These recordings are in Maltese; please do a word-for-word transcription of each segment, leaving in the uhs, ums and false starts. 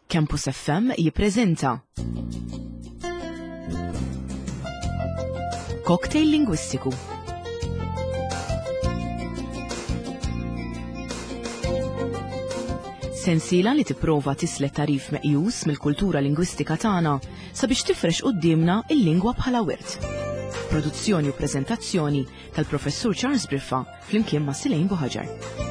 Campus F M jippreżenta Cocktail Lingwistiku. Sensiela li tipprova tislet tarif meqjus mill-kultura lingwistika tagħna sabiex tifrex quddiemna il-lingwa bħala wirt. Produzzjoni u preżentazzjoni tal-Professur Charles Briffa flimkien ma' Silejn Buħaġar.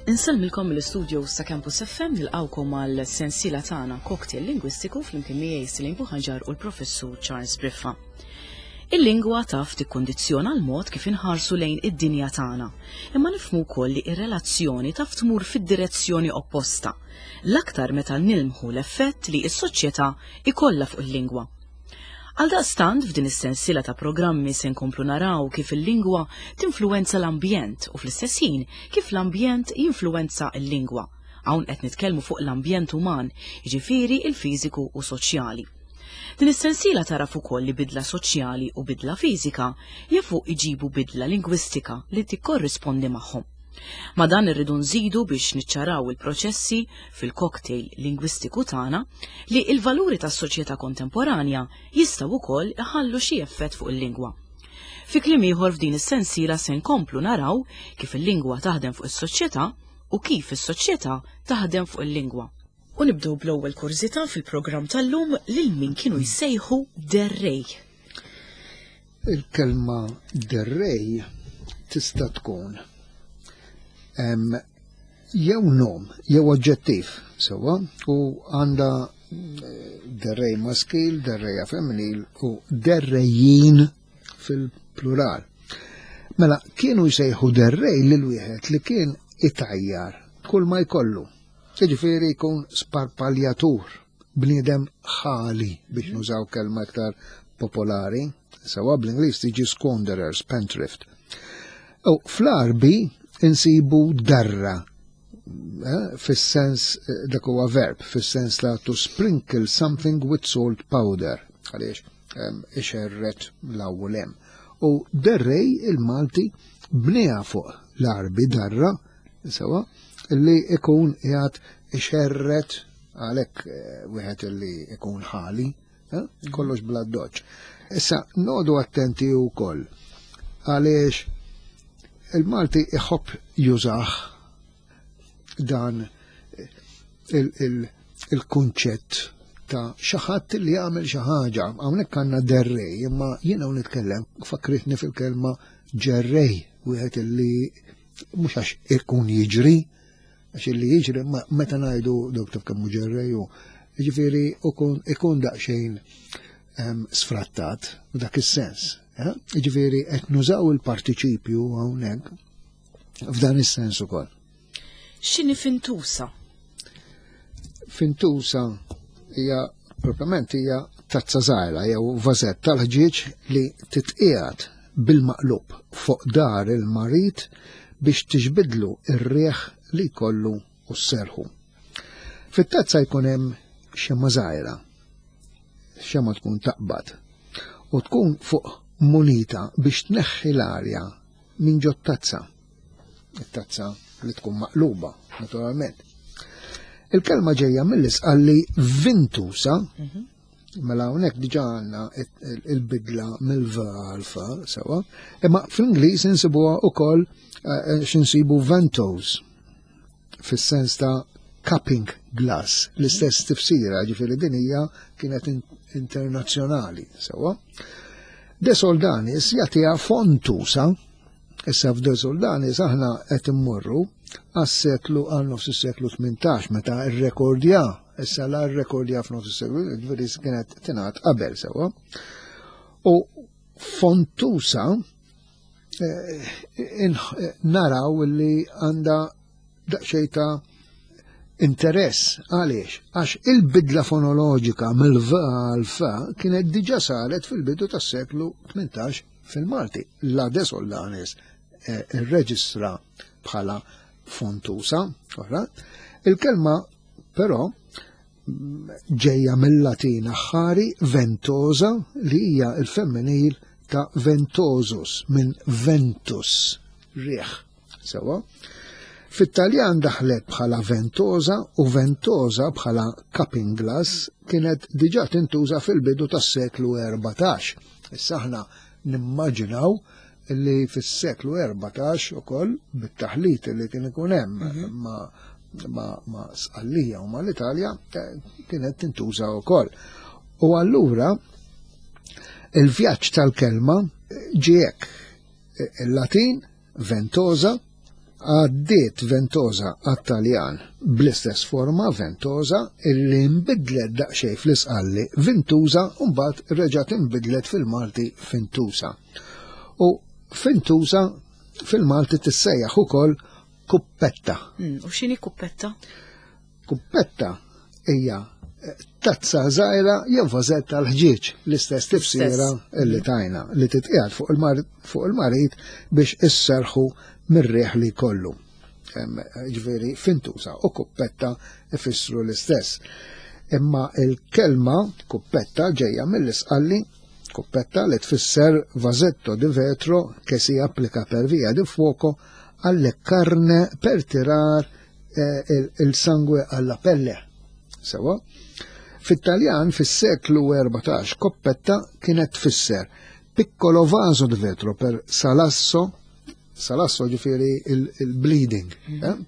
Insellmilkom mill-istudio sa' Campus F M, nilqawkom għal sensiela tagħna Cocktail Lingwistiku flimkien miegħi Silejn Buħaġar u l-Professur Charles Briffa. Il-lingwa taf tikkondizzjona l-mod kif inħarsu lejn id-dinja tagħna, imma nifhmu wkoll li r-relazzjoni taf tmur fid-direzzjoni opposta, l-aktar meta nilmħu l-effett li s-soċjetà ikollha fuq il-lingwa. Għaldaqstant f'din is-sensiela ta' programmi se nkomplu naraw kif il-lingwa tinfluwenza l-ambjent u fl-istess ħin kif l-ambjent jinfluwenza l-lingwa. Hawn qed nitkellmu fuq l-ambjent uman, jiġifieri il-fiżiku u soċjali. Din is-sensiela taraf ukoll li bidla soċjali u bidla fiżika jafu iġibu bidla lingwistika li tikkorrispondi magħhom. Ma dan irridu nżidu biex niċċaraw il-proċessi fil-cocktail lingwistiku tagħna li l-valuri tas-soċjetà kontemporanja jistgħu wkoll iħallu xi effett fuq il-lingwa. Fi kliem ieħor f'din is-sensiela se nkomplu naraw kif il-lingwa taħdem fuq is-soċjetà u kif is-soċjetà taħdem fuq il-lingwa. U nibdew bl-ewwel kurżità fil-programm tal-lum lil min kienu jsejħu derrej. Il-kelma derrej tista' tkun em, jew nom, jew oġġettiv, sewwa, u għandha, eh, derrej maskil, derreja femminil u derrejjin fil-plural. Mela, kienu jsejħu derrej lil wieħed li kien itajjar kull ma jkollu. Jiġifieri jkun sparpaljatur, bniedem ħali biex nużaw kelma iktar popolari, sewwa bl-Ingliż tiġi squanderer, spendthrift. U fl-Arbi insibu darra, eh, fis-sens, eh, dak huwa verb, fis-sens la to sprinkle something with salt powder, għaliex, ehm, ixerret l-ewwel hemm. U derrej il-Malti bniha fuq l-Arbi darra, sewa, li ikun qiegħed ixerret għalhekk, eh, wieħed li ikun ħali, eh, kollox bla doċ. Issa nodu attenti wkoll għaliex il-Malti iħobb jużah dan il-, il-, il-kunċett ta' xi ħadd li jagħmel xi ħaġa. Hawnhekk għandna derrej, imma jiena hawn nitkellem fakritni fil-kelma ġerrej, wieħed li mhux għax ikun jiġri, għax illi jiġri, ma meta ngħidu dok taf kemm hu ġerrej hu, jiġifieri ikun, ikun daqsxejn, ehm, sfrattat f'dak is-sens. Eh? Jiġifieri qed nużaw il-partiċipju hawnhekk f'dan is-sens ukoll. X'inhi fintusa? Fintusa hija proprjament hija tazza żgħira jew vażett tal-ħġieġ li titqiegħed bil-maqlub fuq dar il-marid biex tixbidlu ir-riħ li jkollu u sserħu. Fit-tazza jkun hemm xemma żgħira, xemma tkun taqbad u tkun fuq munita biex tneħħi l-arja minn ġot tazza. It-tazza li tkun maqluba, naturalment. Il-kelma ġejja mill-isqalli vintusa, Mhm. mela hawnhekk diġà għandna il-, il-bidla mill-v għal f, sewa, imma fl-Ingliż insibuha wkoll, eh, x'insibu ventos, fis-sens ta' cupping glass, l-istess tifsira, ġifieri din hija kienet in-, internazzjonali, sewa. De Soldanis jagħtiha fontusa, issa f'De Soldanis aħna qed immorru għas-seklu għal nofs is-seklu tmintax meta rrekordja, issa la rrekordja f'nofs is-seklu, ġifieri kienet tingħad qabel sewa. U fontusa, eh, in-, naraw li għandha daqsxejn ta' interess. Għaliex? Għax il-bidla fonoloġika mill-V għal F kienet diġà saret fil-bidu tas-seklu tmintax fil-Malti. La De Soldanis, eh, irreġistra bħala fontusa, ora. Il-kelma però Ġejja mill-Latin aħħari ventosa, li hija il-femminil ta' ventosus, minn ventus, riħ. Sewa. Fit-Taljan daħlet bħala ventosa, u ventosa bħala cupping glass kienet diġà tintuża fil-bidu tas-seklu erbatax. Issa aħna nimmaġinaw li fis-seklu erbatax ukoll bit-taħlit li kien ikun hemm mhm. ma' ma, ma Sqallija u ma l-Italja eh, kienet tintuża wkoll. U allura il-vjaġġ tal-kelma ġiek il-Latin ventosa, għaddiet ventosa għat-Taljan bl-istess forma ventosa, illi nbidlet daqsxejn fl-Isqalli vintuża, u mbagħad reġgħet inbidlet fil-Malti fintusa. U fintusa fil-Malti tissejjaħ ukoll kuppetta. Mm, u x'inhi kuppetta? Kuppetta hija eh, tazza żgħira jew vażett tal-ħġieġ, l-istess tifsira illi tajna, li titqiegħed fuq il-marid biex isserħu mir-riħ li kollu. Ġifieri fintusa u kuppetta ifissru l-istess. Imma il-kelma kuppetta ġejja mill-Isqalli kuppetta, li tfisser vasetto di vetro che si applica per via di fuoco alle carne per tirar eh, il, il sangue alla pelle. Sewa? Fit-Taljan fis-seklu erbatax koppetta kienet tfisser piccolo vaso di vetro per salasso, salasso ġifieri il-bleeding. Mm -hmm.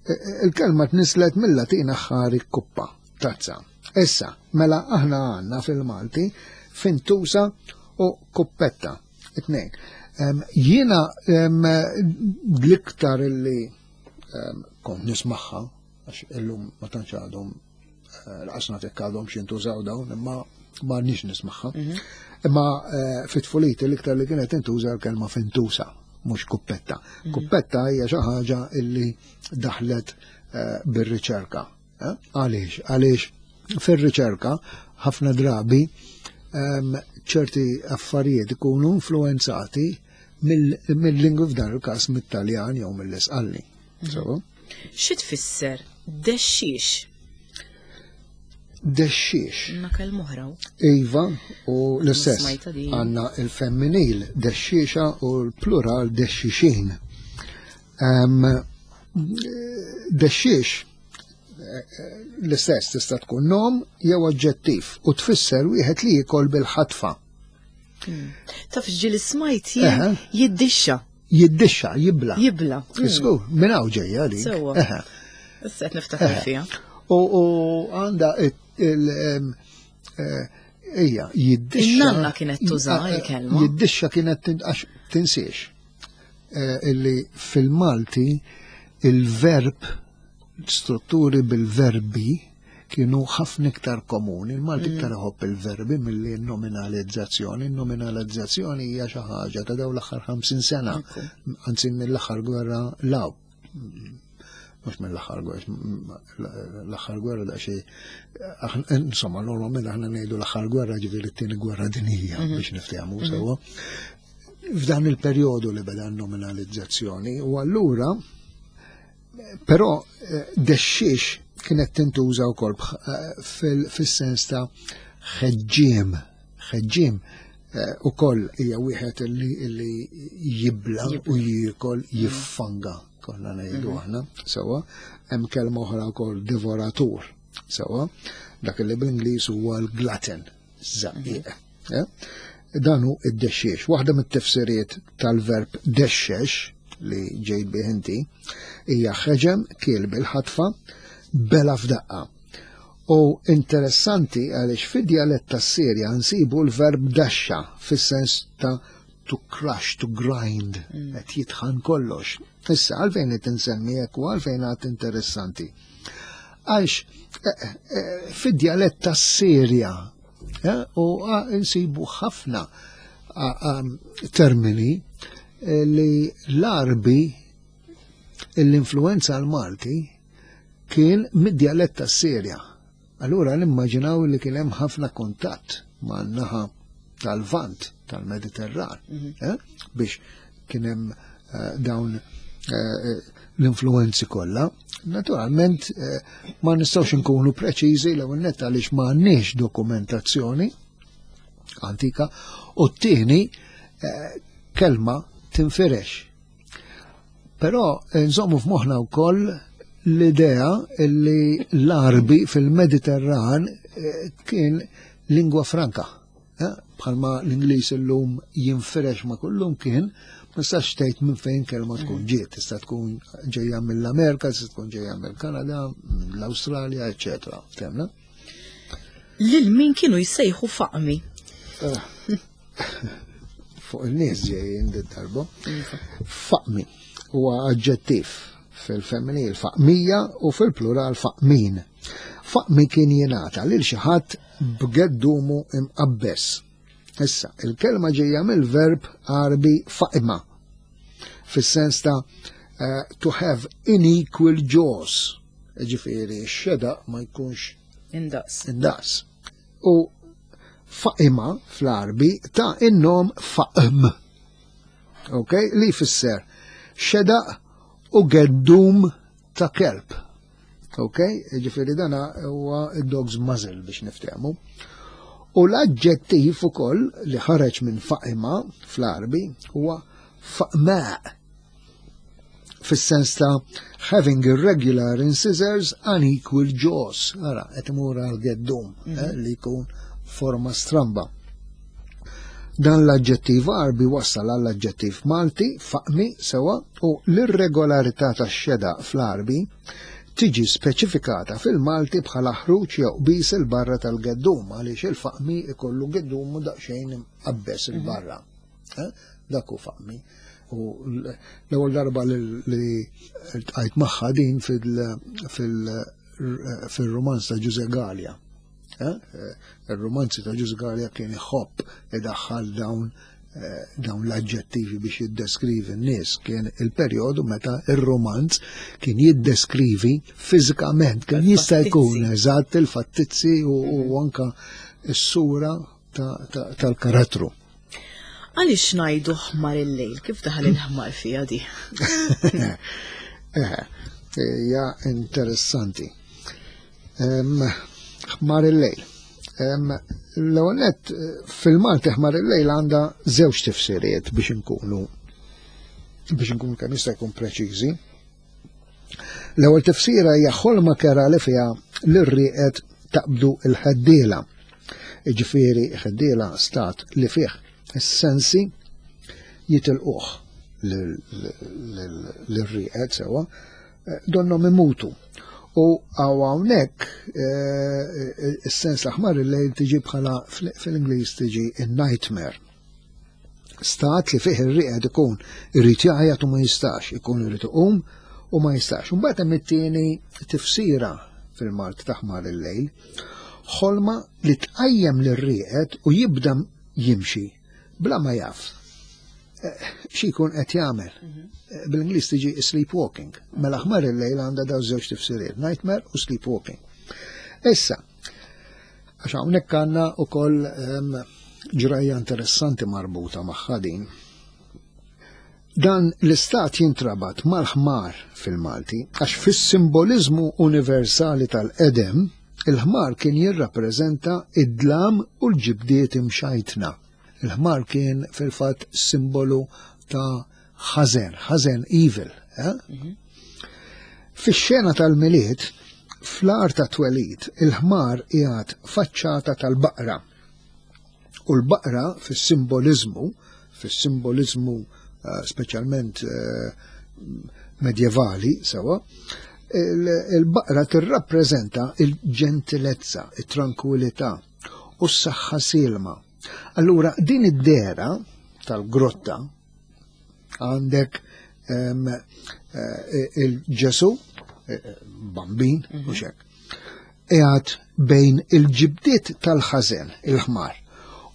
eh? Il-kelma tnislet mill-Latin aħħari kuppa, tazza. Issa, mela aħna għandna fil-Malti fintusa u kuppetta. Itnejn. Jiena l-iktar illi kont nismaħħa, għax illum ma tantx għadhom, eh, laqasna tek għadhom xintużaw dawn, imma ma nix nismaħħa. Mhm. Imma eh, fit-tfuliti l-iktar li kienet intuża l-kelma fintusa, mhux kuppetta. Mhm. Kuppetta hija xi ħaġa illi daħlet eh, bir-riċerka. Għaliex? Għaliex fir-riċerka ħafna drabi ċerti affarijiet ikunu influenzati mill-lingwi, f'dan il-każ mit-Taljan jew mill-Isqalli. Mhm. Xi tfisser dexxix? Dexxix. Ma kelma oħra. Iva, u l-istess. Għandna il-femminil dexxixa u l-plural dexxixin. Dexxix l-istess tista' tkun nom jew oġġettiv u tfisser wieħed li jiekol bil-ħatfa. Hmm. Taf ġieli smajt jiddixxa. Jiddixxa, jibla. Jibla. Żgur, minn hawn ġejja dik. Sewwa. Issa qed niftakar fiha. U għandha il eh, ejja, jiddixxa. In-nanna kienet tuża il-kelma. Jiddixxa kienet għax tinsiex eh, illi fil-Malti il-verb, strutturi bil-verbi kienu ħafna iktar komuni. Il-Malti mm. iktar iħobb il-verbi milli nominalizzazzjoni. Nominalizzazzjoni hija xi ħaġa ta' dawn l-aħħar ħamsin sena, anzi mill-aħħar gwerra law. Mhux mill-aħħar gwerra, l-aħħar gwerra daqsxejn, insomma, normalment aħna ngħidu l-aħħar gwerra, ġifieri t-tieni gwerra dinjija, mhm. biex niftehmu mhm. sewwa. F'dan il-perjodu li beda nominalizzazzjoni, u allura però eh, dexxiex kienet tintuża wkoll eh, fis-sens ta' ħeġġiem, ħeġġiem eh, ukoll hija wieħed li jibla u jiekol, mm. jiffanga, konna ngħidu mm-hmm. aħna, sewwa, hemm kelma oħra wkoll devoratur, sewwa, dak li bl-Ingliż huwa l-glutton, żaqqiq. Mm-hmm. Dan hu id-dexxiex. Waħda mit-tifsiriet tal-verb dexxex li ġejt bih inti hija ħeġem, kiel bil-ħatfa, bela f'daqqa. U interessanti għaliex fid-djalett tas-Sirja nsibu l-verb daxxa fis-sens ta' to crush, to grind, mm. qed jitħan kollox. Issa, għalfejn qed insemmi hekk u għalfejn għad interessanti? Għax eh, eh, fid-djalett tas-Sirja eh, u nsibu ħafna termini li l-Arbi l-influenza l-Malti kien mid-djalett tas-Sirja. Allura nimmaġinaw li kien hemm ħafna kuntatt ma' naħa tal-Vant tal-Mediterran mm -hmm. eh? biex kien hemm eh, dawn eh, l-influenzi kollha. Naturalment eh, ma nistgħux inkunu preċiżi, l-ewwel nett għaliex ma għandniex dokumentazzjoni antika u t-tieni, eh, kelma tinfirex. Però eh, nżommu f'moħħna wkoll l-idea li l-Arbi fil-Mediterran kien lingwa franka. Bħalma l-Ingliż illum jinfirex ma' kullum kien, ma tistax tgħid minn fejn kelma tkun mm. ġiet, tista' tkun ġejja mill-Amerika, tista' tkun ġejja mill-Kanada, mill-Awstralja, eċċetera. Ftemna? Lil min kienu jsejħu faqmi? Eh, fuq il-nies ġejjin darba. Iva. Faqmi huwa aġġettiv, fil-femminil faqmija u fil-plural faqmin. Faqmi kien jingħata lil xi ħadd b'geddumu imqabbes. Issa, il-kelma ġejja mill-verb Arbi faqma, fis-sens ta' uh, to have unequal jaws. Ġifieri, x-xedaq ma jkunx indaqs. Indaqs. U faqima fl-Arbi ta in-nom faqm. Ok, li fisser xedaq u geddum ta' kelb. Ok, ġifieri dana huwa dog's muzzle biex niftehmu. U l-aġġettiv ukoll li ħareġ minn faqima fl-Arbi huwa faqma', fis-sens ta' having irregular incisors, unequal jaws. Ara, qed imur għal geddum mm -hmm. li jkun forma stramba. Dan l-aġġettiv Arbi wassal għall-aġġettiv Malti faqmi, sewa, u l-irregolarità tax-xedaq fl-Arbi tiġi speċifikata fil-Malti bħala ħruġ jew qbiż 'il barra tal-geddum, għaliex il-faqmi ikollu geddum u daqsxejn imqabbes 'il barra. Eh? Dak hu faqmi. U l-ewwel darba li ltqajt magħha din fil-romanz ta' Ġuże Galea. Eh? Il-romanzi ta' Ġuże Galea kien iħobb idaħħal dawn eh, dawn l-aġġettivi biex jiddeskrivi n-nies. Kien il-perjodu meta il-romanz kien jiddeskrivi fiżikament, kien jista' jkun eżatt il-fattizzi u, u anka s-sura tal-karattru. Għaliex ngħidu ħmar il-lejl? Kif daħal il-ħmar fija di? Eh, ja, interessanti. Ħmar il-lejl. L-ewwel nett, fil-Malti ħmar il-lejl għandha żewġ tifsiriet biex inkunu biex inkunu kemm jista' jkun preċiżi. L-ewwel tifsira hija ħolma kerha li fiha lir-rieqed taqbdu il-ħeddiela. Ġifieri ħeddiela stat li fih is-sensi jitilquh lir-rieqed, sewa, donnom imutu. U għaw hawnhekk eh, is-sens l-aħmar il-lejl tiġi bħala fil-Ingliż tiġi in-nightmare. Stat li fih ir-rieqed ikun irid jgħajjat u ma jistax, ikun irid iqum u ma jistax. Mbagħad hemm it-tieni tifsira fil-Malt ta' ħmar il-lejl, ħolma li tqajjem lir-rieqed u jibda jimxi bla ma jaf eh, xi jkun qed jagħmel. Mhm. Eh, bil-Ingliż tiġi sleepwalking. Mela ħmar il-lejl għandha daw żewġ tifsiriet, nightmare u sleepwalking. Issa, għax hawnhekk għandna wkoll ehm, ġrajja interessanti marbuta magħha din. Dan l-istat jintrabat mal-ħmar fil-Malti, għax fis-simbolizmu universali tal-qedem, il-ħmar kien jirrappreżenta id-dlam u l-ġibdiet imxajtna. Il-ħmar kien fil-fatt simbolu ta' ħażen, ħażen, evil. Eh? Mm -hmm. Fix-xena tal-Milied, fl-għar ta' twelid, il-ħmar qiegħed faċċata tal-baqra. U l-baqra fis-simbolizmu, fis-simbolizmu uh, speċjalment uh, medjevali, sewa, il-baqra tirrappreżenta il-ġentilezza, il-tranquillità u s-saħħa silma. Allura din id-dera tal-grotta għandek um, il-Ġesu, eh, bambin, mm -hmm. u xek, qiegħed bejn il-ġibdiet tal-ħażen, il-ħmar,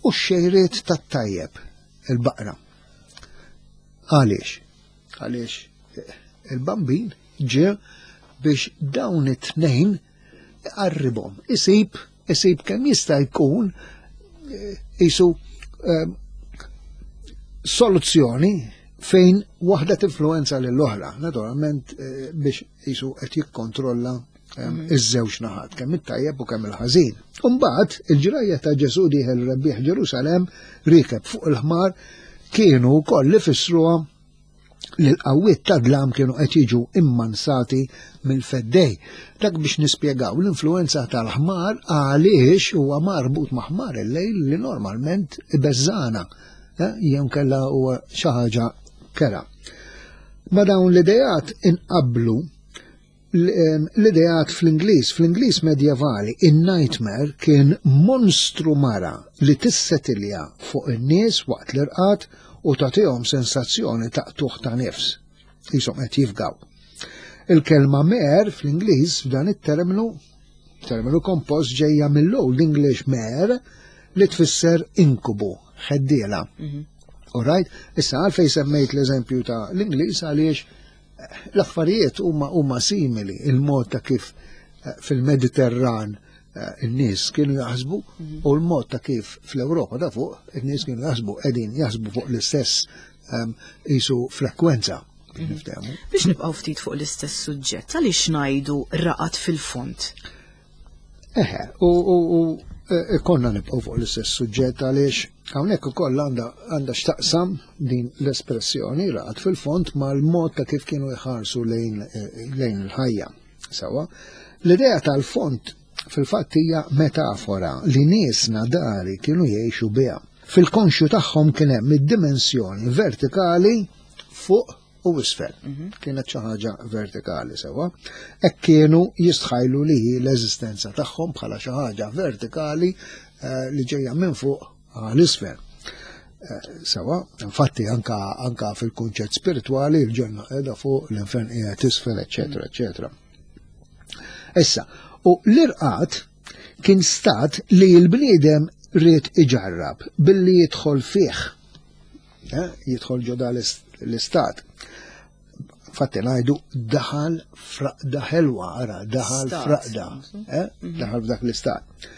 u x-xejriet tat-tajjeb, il-baqra. Għaliex? Għaliex eh, il-bambin ġie biex dawn it-tnejn iqarribhom, isib, isib kemm jista' jkun jisu eh, soluzzjoni fejn waħda tinfluenza lill-oħra, naturalment eh, biex jisu qed jikkontrolla mhm. iż-żewġ naħat, kemm it-tajjeb u kemm il-ħażin. Imbagħad il-ġrajja ta' Ġesù dieħel rebbieħ Ġerusalemm riekeb fuq il-ħmar kienu wkoll li fissruha li l-qawwiet ta' dlam kienu qed jiġu immansati mill-feddej. Dak biex nispjegaw l-influenza tal-ħmar għaliex huwa marbut ma' ħmar il-lejl li normalment ibeżżana, eh, jew kella huwa xi ħaġa kera. Ma dawn l-idejat inqablu l-idejat fl-Ingliż. Fl-Ingliż medjevali, in-nightmare kien monstru mara li tissetilja fuq in-nies waqt l-irqad u tagħtihom sensazzjoni ta' qtugħ ta' nifs. Qishom qed jifgaw. Il-kelma mare fl-Ingliż f'dan it-terminu, terminu kompost, ġejja mill-Old English mare li tfisser inkubu, ħeddiela. Mhm. Alright? Issa għalfej semmejt l-eżempju ta' l-Ingliż? Għaliex l-affarijiet huma huma simili, il-mod ta' kif eh, fil-Mediterran eh, in-nies kienu jaħsbu mhm. u l-mod ta' kif fl-Ewropa ta' fuq in-nies kienu jaħsbu qegħdin jaħsbu fuq l-istess ehm, jisu frekwenza. Mhm. Biex nibqgħu ftit fuq l-istess suġġett, għaliex ngħidu raqad fil-fond? Eħe, u, u, u e, konna nibqgħu fuq l-istess suġġett għaliex hawnhekk ukoll għandha għandha x'taqsam din l-espressjoni raqad fil-fond mal-mod ta' kif kienu jħarsu lejn e, lejn il-ħajja. Sawa, l-idea tal-fond fil-fatt hija metafora li niesna dari kienu jgħixu biha. Fil-konxju tagħhom kien hemm id-dimensjoni vertikali fuq u isfel. Mhm. Kienet xi ħaġa vertikali sewa. Hekk kienu jistħajlu li l-eżistenza tagħhom bħala xi ħaġa vertikali eh, li ġejja minn fuq għal isfel. Eh, sewa, infatti anka, anka fil-kunċett spiritwali l-ġenna qiegħda fuq, l-infern qiegħed isfel, eċetera, eċetera. Issa, u l-irqad kien stat li l-bniedem ried iġarrab billi jidħol fih. Eh, jidħol ġo l-istat. Fatti ngħidu daħal fraqda ħelwa, ara, daħal fraqda, eh? Mhm. daħal f'dak l-istat.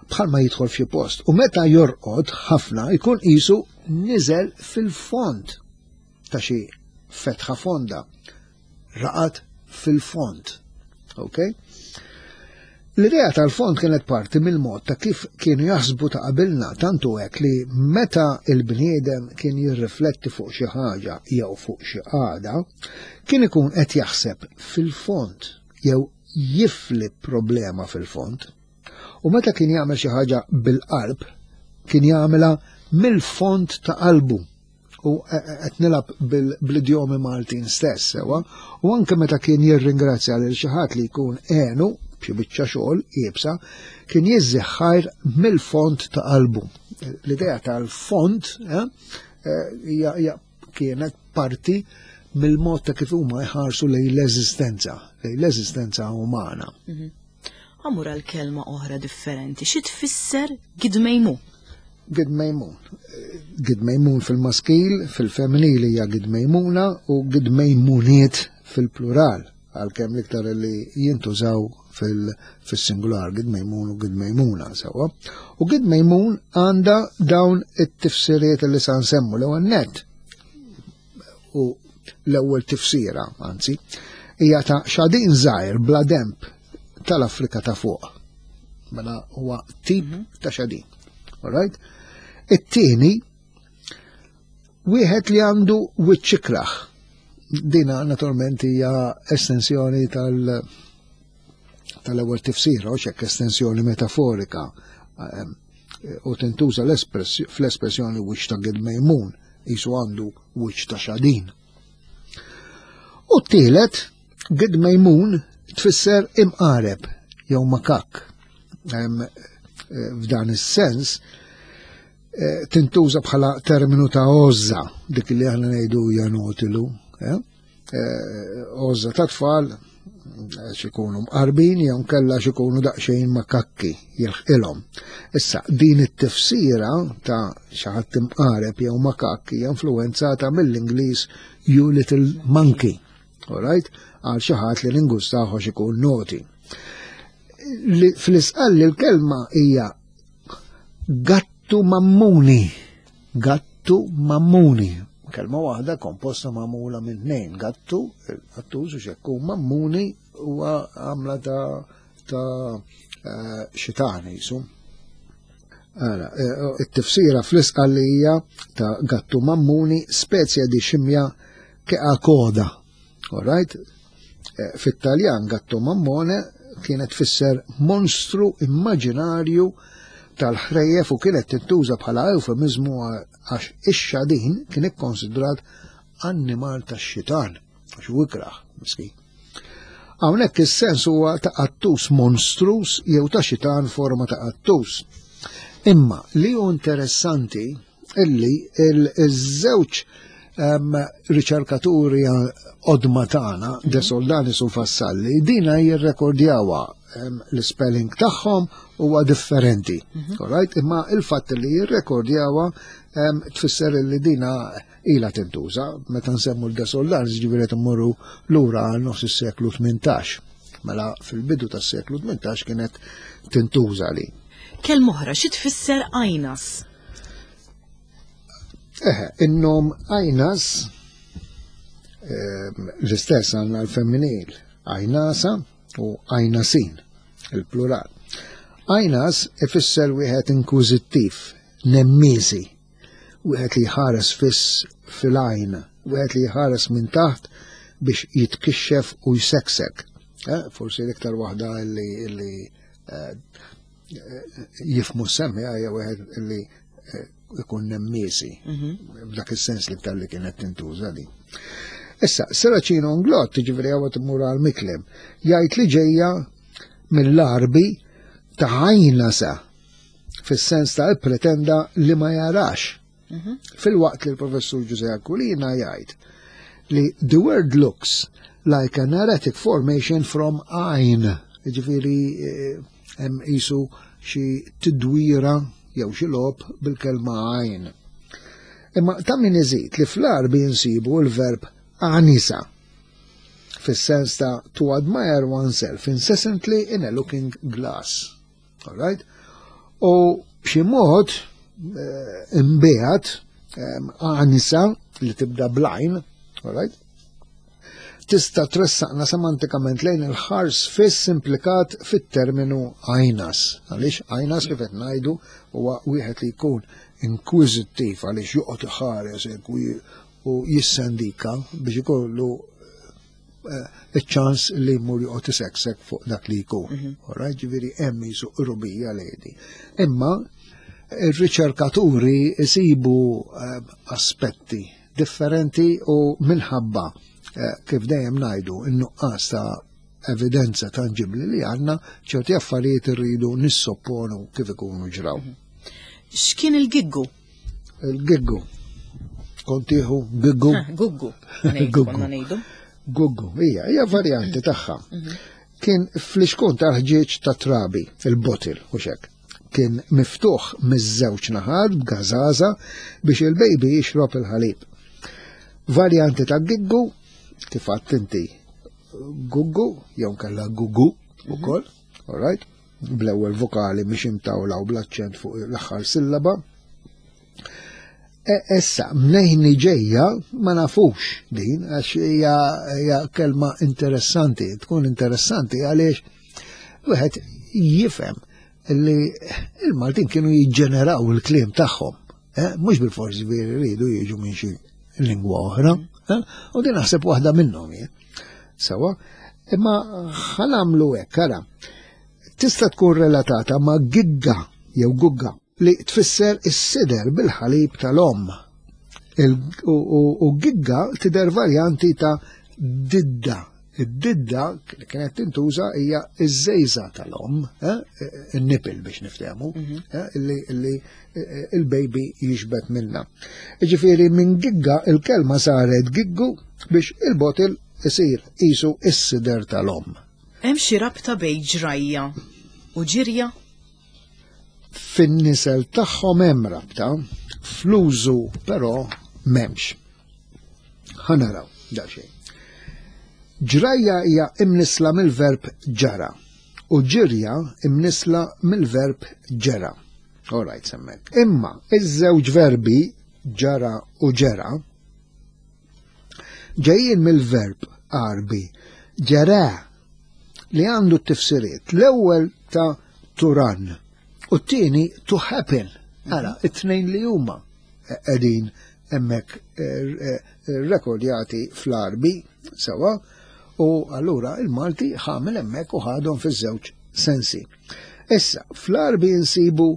Bħalma jidħol f'xi post. U meta jorqod ħafna jkun qisu niżel fil-fond ta' xi fetħa fonda. Raqad fil-fond. Ok? L-idea tal-fond kienet parti mill-mod ta' kif kienu jaħsbu ta' qabilna, tantu hekk li meta il-bniedem kien jirrifletti fuq xi ħaġa jew fuq xi qagħda, kien ikun qed jaħseb fil-fond jew jifli problema fil-fond. U meta kien jagħmel xi ħaġa bil-qalb, kien jagħmilha mill-fond ta' qalbu u qed nilgħab bl-idjomi Maltin stess, sewa, u anke meta kien jirringrazzja lil xi ħadd li jkun għenu b'xi biċċa xogħol iebsa, kien jiżżeħħajr mill-fond ta' qalbu. L-idea tal-fond eh, hija kienet parti mill-mod ta' kif huma jħarsu lejn l-eżistenza, lejn l-eżistenza umana. Mhm. Għamur għal kelma oħra differenti, xi tfisser gidmejmu? Gidmejmun. Gidmejmun fil-maskil, fil-femminili hija gidmejmuna u gidmejmuniet fil-plural, għalkemm l-iktar li jintużaw fil-singular, gidmejmun u gidmejmuna sewa. U gidmejmun għandha dawn it-tifsiriet li sa nsemmu l-ewwel net. U l-ewwel tifsira, anzi, hija ta' xadin żgħir bla demp tal-Afrika ta' fuq. Mela huwa tip mhm. ta' xadin. Alright? It-tieni wieħed li għandu wiċċ ikrah. Dina naturalment hija estensjoni tal- tal-ewwel tifsira, u xekk estensjoni metaforika ehm, u tintuża fl-espressjoni wiċċ ta' gidmejmun, jisu għandu wiċċ ta' xadin. U t-tielet, gidmejmun tfisser imqareb jew makak. Ehm, eh, f'dan is-sens eh, tintuża bħala terminu ta' għożża, dik li aħna ngħidu janotilu, eh? Għożża ta' tfal xikunu mqarbin jew kella xikunu daqsxejn makakki jilħqilhom. Issa din it-tifsira ta' xi ħadd imqareb jew makakki hija influenzata mill-Ingliż "you little monkey". Alright? Għal xi ħadd li ningustaħu xikun naughty. Fl-isqalli l-kelma hija gattu mammuni. Gattu mammuni. Kelma waħda komposta magħmula minn tnejn, gattu, il-qattus u xekku, mammuni huwa għamla ta' ta' eh, xitan jisu. Ara, eh, it-tifsira fl-Isqallija ta' gattu mammuni spezja di scimmia che ha coda. All right? Eh, Fit-Taljan gatto mammone kienet tfisser monstru immaġinarju tal-ħrejjef u kienet tintuża bħala eufemizmu għax ix-xadin kien ikkonsidrat annimal tax-xitan, għax hu ikraħ, miskin. Hawnhekk is-sens huwa ta' qattus monstrus jew ta' xitan forma ta' qattus. Imma li hu interessanti illi il-żewġ um, riċerkaturi qodma tagħna, De Soldanis u Vassalli, dina jirrekordjawa um, l-spelling tagħhom huwa differenti. Mm Alright? Imma il-fatt li jirrekordjawa um, tfisser li dina ila tintuża, meta nsemmu l-De Soldanis ġifieri immorru lura għal nofs is-seklu tmintax. Mela fil-bidu tas-seklu tmintax kienet tintuża li. Kelma oħra, xi tfisser għajnas? Eħe, in-nom għajnas, ehm, l-istess għandna l-femminil, għajnasa u għajnasin, il-plural. Għajnas ifisser wieħed inkwiżittiv, nemmisi, wieħed li jħares fiss fil-għajn, wieħed li jħares minn taħt biex jitkixxef u jseksek. Eh, forsi l-iktar waħda li, li eh, jifmu semmi hija wieħed li eh, ikun nemmisi, b'dak is-sens li tal li kienet tintuża di. Issa, Serracino Inglott, ġifieri għawet immur għal Miklem, jgħid li ġejja mill-Arbi ta' għajnasa, fis-sens ta' pretenda li ma jarax. Fil-waqt li l-professur Giuseppe Aquilina jgħid li the word looks like an erratic formation from għajn, ġifieri hemm isu xi tidwira jew xi logħob bil-kelma għajn. Imma ta' min iżid li fl-Arbi nsibu l-verb anisa fis-sens ta' to admire oneself incessantly in a looking glass. All right? U b'xi mod eh, imbiegħed anisa li tibda bl-għajn, all right? Tista' tressaqna semantikament lejn il-ħars fiss implikat fit-terminu għajnas. Għaliex għajnas kif qed ngħidu huwa wieħed li jkun inkwiżittiv għaliex joqgħod iħares hekk u u jissendika biex ikollu eh, iċ-ċans li jmur joqgħod iseksek fuq dak li jkun. Alright, ġifieri hemm jisu qrubija lejdi. Imma ir-riċerkaturi isibu eh, aspetti differenti u minħabba eh, kif dejjem ngħidu in-nuqqas ta' evidenza tangibli li għandna ċerti affarijiet irridu nissopponu kif ikunu ġraw. X'kien il-giggu? Il-giggu. Kontieħu giggu. Guggu. Guggu. Konna ngħidu. Guggu, hija, hija varjanti tagħha. Kien fl-iskun tal-ħġieġ ta' trabi, il-bottle, u xek. Kien miftuħ miż-żewġ naħat b'gażaża biex il-baby jixrob il-ħalib. Varjanti ta' giggu, kif għadt inti, guggu, jew kella gugu ukoll, all right? Bl-ewwel vokali mhix imtawla u bl-aċċent fuq l-aħħar sillaba. E, issa, mnejn ġejja ma nafux din, għax hija hija kelma interessanti, tkun interessanti għaliex wieħed jifhem li il-Maltin kienu jiġġeneraw il-kliem tagħhom, eh? Mhux bil-forsi veri rridu jiġu minn xi lingwa oħra, eh? U din naħseb waħda minnhom jien. Sawa, imma ħa nagħmlu hekk, ara, tista' tkun relatata ma' gigga jew gugga li tfisser is-sider bil-ħalib tal-om. Il- U u- u gigga tidher varjanti ta' didda. Id-didda li kienet tintuża hija iż-żejża tal-om, eh, in-nipple biex niftehmu, eh, illi illi eh, il-baby jixbet minna. Ġifieri minn gigga il-kelma saret giggu biex il-bottle isir isu is-sider tal-om. Hemm xi rabta bejn ġrajja u ġirja? Fin-nisel tagħhom hemm rabta, fl-użu però m'hemmx. Ħa naraw daqsxejn. Ġrajja hija imnisla mill-verb ġara u ġirja imnisla mill-verb ġera. All right, semmek. Imma iż-żewġ verbi ġara u ġera Ġejjin mill-verb Għarbi ġara li għandu t-tifsiriet. L-ewwel ta' to run u t-tieni to happen. Ara, it-tnejn li huma qegħdin hemmhekk eh, eh, rekordjati fl-Għarbi sewa u allura il-Malti ħamel hemmhekk u ħadhom fiż-żewġ sensi. Issa, fl-Għarbi nsibu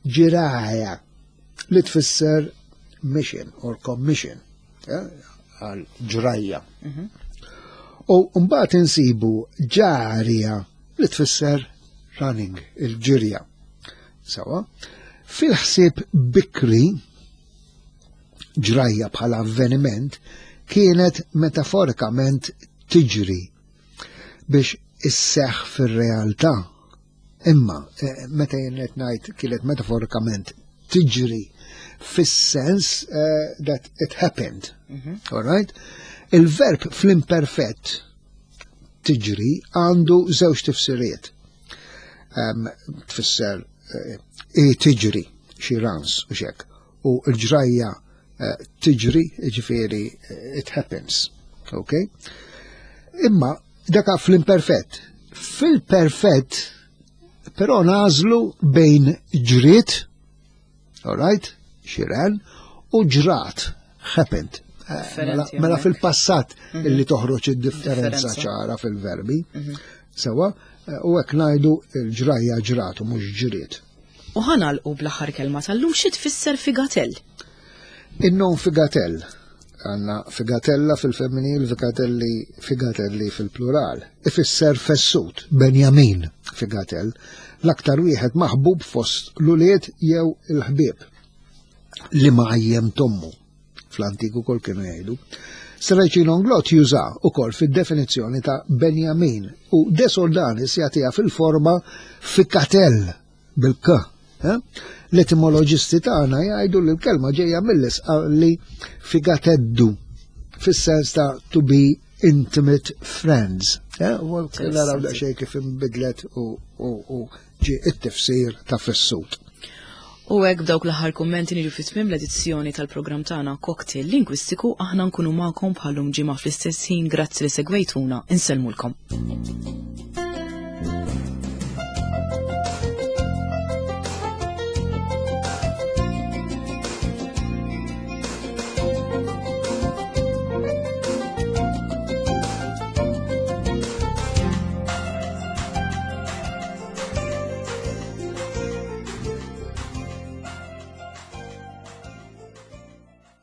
ġiraja li tfisser mission or commission, eh, għal ġrajja. U mbagħad insibu ġarja li tfisser running, il-ġirja. Sawa, fil-ħsieb bikri ġrajja bħala avveniment kienet metaforikament tiġri biex isseħ fir-realtà. Imma, eh, meta jien qed ngħid kienet metaforikament tiġri fis-sens uh, that it happened. All right? Il-verb fl-imperfett tiġri għandu żewġ tifsiriet. Um, tfisser uh, tiġri xi runs u xek. U l-ġrajja uh, tiġri, ġifieri it happens. Okay? Imma daka fl-imperfett. Fil-perfett, però nagħżlu bejn ġriet, all right, she ran, u ġrat, happened. Eh, mela, mela fil-passat mhm. illi toħroġ id-differenza ċara fil-verbi. Mhm. Sewa, eh, u hekk ngħidu l-ġrajja ġrat u mhux ġriet. U ħa nagħlqu bl-aħħar kelma tal-lum xi tfisser figatell? In-nom figatell għandna figatella fil-femminil, figatelli, figatelli fil-plural. Ifisser fessut, Benjamin figatell, l-aktar wieħed maħbub fost l-ulied jew il-ħbieb li mgħajjem t'ommu fl-antiku kol kienu jgħidu. Serracino Inglott juża ukoll fid-definizzjoni ta' Benjamin u De Soldanis jagħtiha fil-forma fikatell bil-k. Eh? L-etimoloġisti tagħna jgħidu li l-kelma ġejja mill-li figateddu fis-sens ta' to be intimate friends. Eh? U naraw daqsxejn kif inbidlet u ġie it-tifsir ta' fessut. U hekk b'dawk l-aħħar kummenti niġu fi tmiem l-edizzjoni tal-programm tagħna Cocktail Lingwistiku aħna nkunu magħkom bħal-lum ġimgħa fl-istess ħin grazzi li segwejtuna insellmulkom.